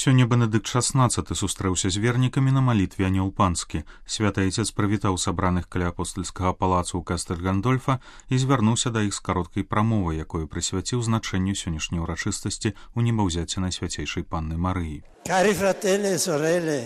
Сёння Бенедыкт XVI сустрэўся з вернікамі на малітве Анёл Панскі. Святы Айцец прывітаў сабраных каля апостальскага палацу ў Кастэль-Гандольфа і звярнуўся да іх з кароткай прамовай, якую прысвяціў значэнню сённяшняй урачыстасці ў небаўзяцці Найсвяцейшай Панны Марыі. Cari fratelli e sorelle,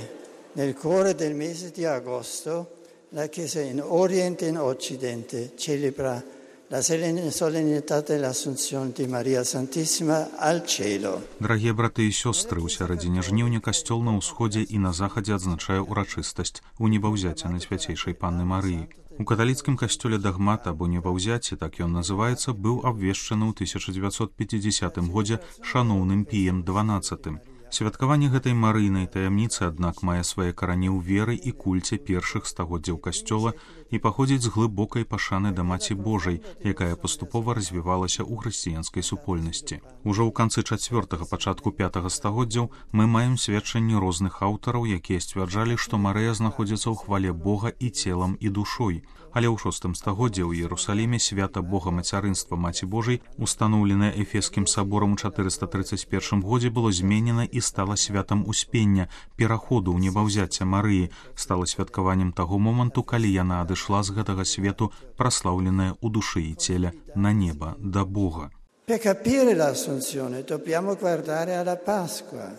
nel cuore del mese di agosto la Chiesa in Oriente e in Occidente celebra la solennità dell'Assunzione di Maria Santissima al cielo. Дарагія браты і сёстры, у сярэдзіне жніўня касцёл на ўсходзе і на захадзе адзначае ўрачыстасць у небаўзяцці Найсвяцейшай Панны Марыі. У каталіцкім касцёле дагмат або небаўзяцці, так ён называецца, быў абвешчаны ў 1950 годзе шаноўным Піем XII. Святкаванне гэтай марыйнай таямніцы, аднак, мае свае карані ў веры і кульце першых стагоддзяў касцёла і паходзіць з глыбокай пашаны да Маці Божай, якая паступова развівалася ў хрысціянскай супольнасці. Ужо ў канцы 4-го, пачатку 5-го стагоддзяў мы маем сведчанні розных аўтараў, якія сцвярджалі, што Марыя знаходзіцца ў хвале Бога і целам, і душой. Але ў 6 стагоддзі ў Іерусаліме свята Бога Мацярынства Маці Божай, устаноўленае Эфескім саборам у 431 годзе, было зменена і стала святам успення, пераходу ў небаўзяцце Марыі, стала святкаваннем таго моманту, калі яна адышла з гэтага свету, праслаўленая ў душы і целе на неба да Бога. Per capire l'Assunzione dobbiamo guardare alla Pasqua,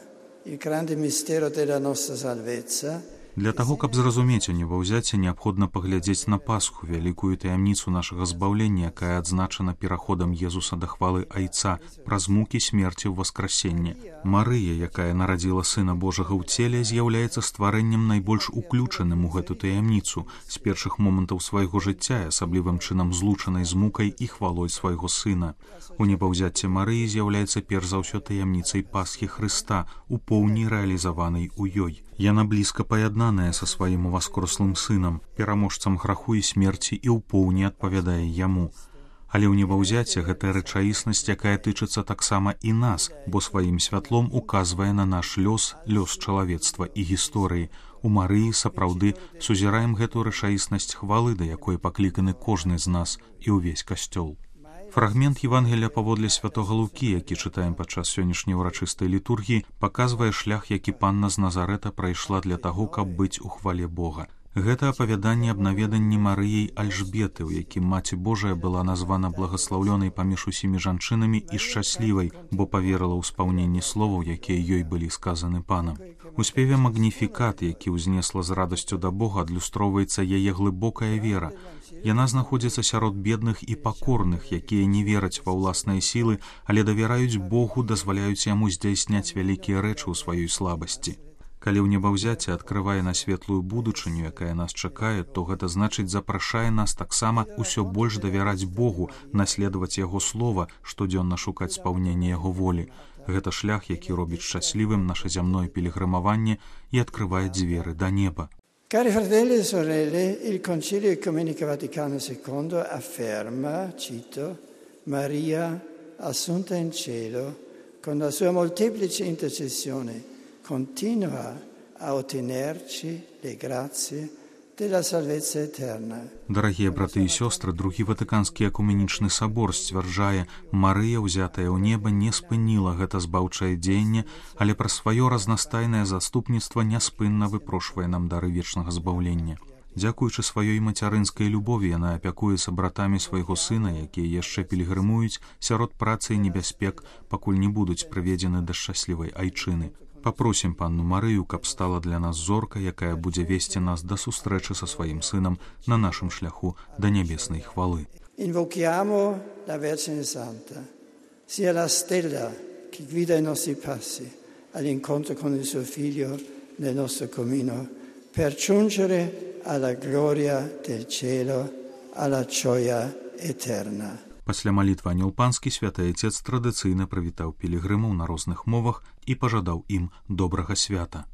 il grande mistero della nostra salvezza. Для таго, каб зразумець у небаўзяцці, неабходна паглядзець на Пасху, вялікую таямніцу нашага збаўлення, якая адзначана пераходам Езуса да хвалы Айца праз мукі смерці ў васкрасенне. Марыя, якая нарадзіла Сына Божага ў целе, з'яўляецца стварэннем найбольш уключаным у гэту таямніцу з першых момантаў свайго жыцця, асаблівым чынам злучанай з мукай і хвалой свайго Сына. У небаўзяцці Марыі з'яўляецца перш за ўсё таямніцай Пасхі Хрыста, у поўні рэалізаванай у ёй. Яна блізка паяднаная са сваім уваскрослым сынам, пераможцам граху і смерці, і ў поўні адпавядае яму. Але ў небаўзяцці гэтая рэчаіснасць, якая тычыцца таксама і нас, бо сваім святлом указвае на наш лёс, лёс чалавецтва і гісторыі. У Марыі сапраўды сузіраем гэту рэчаіснасць хвалы, да якой пакліканы кожны з нас і ўвесь касцёл. Фрагмент Евангелія паводле святога Лукі, які чытаем падчас сённяшняй урачыстай літургіі, паказвае шлях, які Панна з Назарэта прайшла для таго, каб быць у хвале Бога. Гэта апавяданне аб наведанні Марыяй Альжбеты, у якім Маці Божая была названа благаслаўлёнай паміж усімі жанчынамі і шчаслівай, бо паверыла ў спаўненне словаў, якія ёй былі сказаны Панам. У спеве «Магніфікат», які ўзнесла з радасцю да Бога, адлюстроўваецца яе глыбокая вера. Яна знаходзіцца сярод бедных і пакорных, якія не вераць ва ўласныя сілы, але давяраюць Богу, дазваляюць яму здзяйсняць вялікія рэчы ў сваёй слабасці. Калі ў небаўзяцці адкрывае на светлую будучыню, якая нас чакае, то гэта значыць запрашае нас таксама ўсё больш давяраць Богу, наследаваць яго слова, штодзённа шукаць спаўнення яго волі. Гэта шлях, які робіць шчаслівым наша зямное пілігрымаванне і адкрывае дзверы да неба. Cari fratelli e sorelle, il Concilio Ecumenico Vaticano II afferma, cito, Maria assunta in cielo, con la sua molteplice intercessione, continua a ottenerci le grazie della salvezza eterna. Дарагія браты і сёстры, другі Ватыканскі экуменічны сабор сцвярджае, Марыя, ўзятая ў неба, не спыніла гэта збаўчае дзеянне, але праз сваё разнастайнае заступніцтва няспынна выпрошвае нам дары вечнага збаўлення. Дзякуючы сваёй мацярынскай любові, яна апякуецца братамі свайго сына, якія яшчэ пілігрымуюць сярод працы і небяспек, пакуль не будуць прыведзены да шчаслівай айчыны. Папросім Панну Марыю, каб стала для нас зоркай, якая будзе весці нас да сустрэчы са сваім сынам на нашым шляху да нябеснай хвалы. Invochiamo la Vergine Santa, sia la stella che guida i nostri passi all'incontro con il suo figlio nel nostro cammino, per giungere alla gloria del cielo, alla gioia eterna. Пасля малітвы Анёл Панскі святы Айцец традыцыйна прывітаў пілігрымаў на розных мовах і пажадаў ім добрага свята.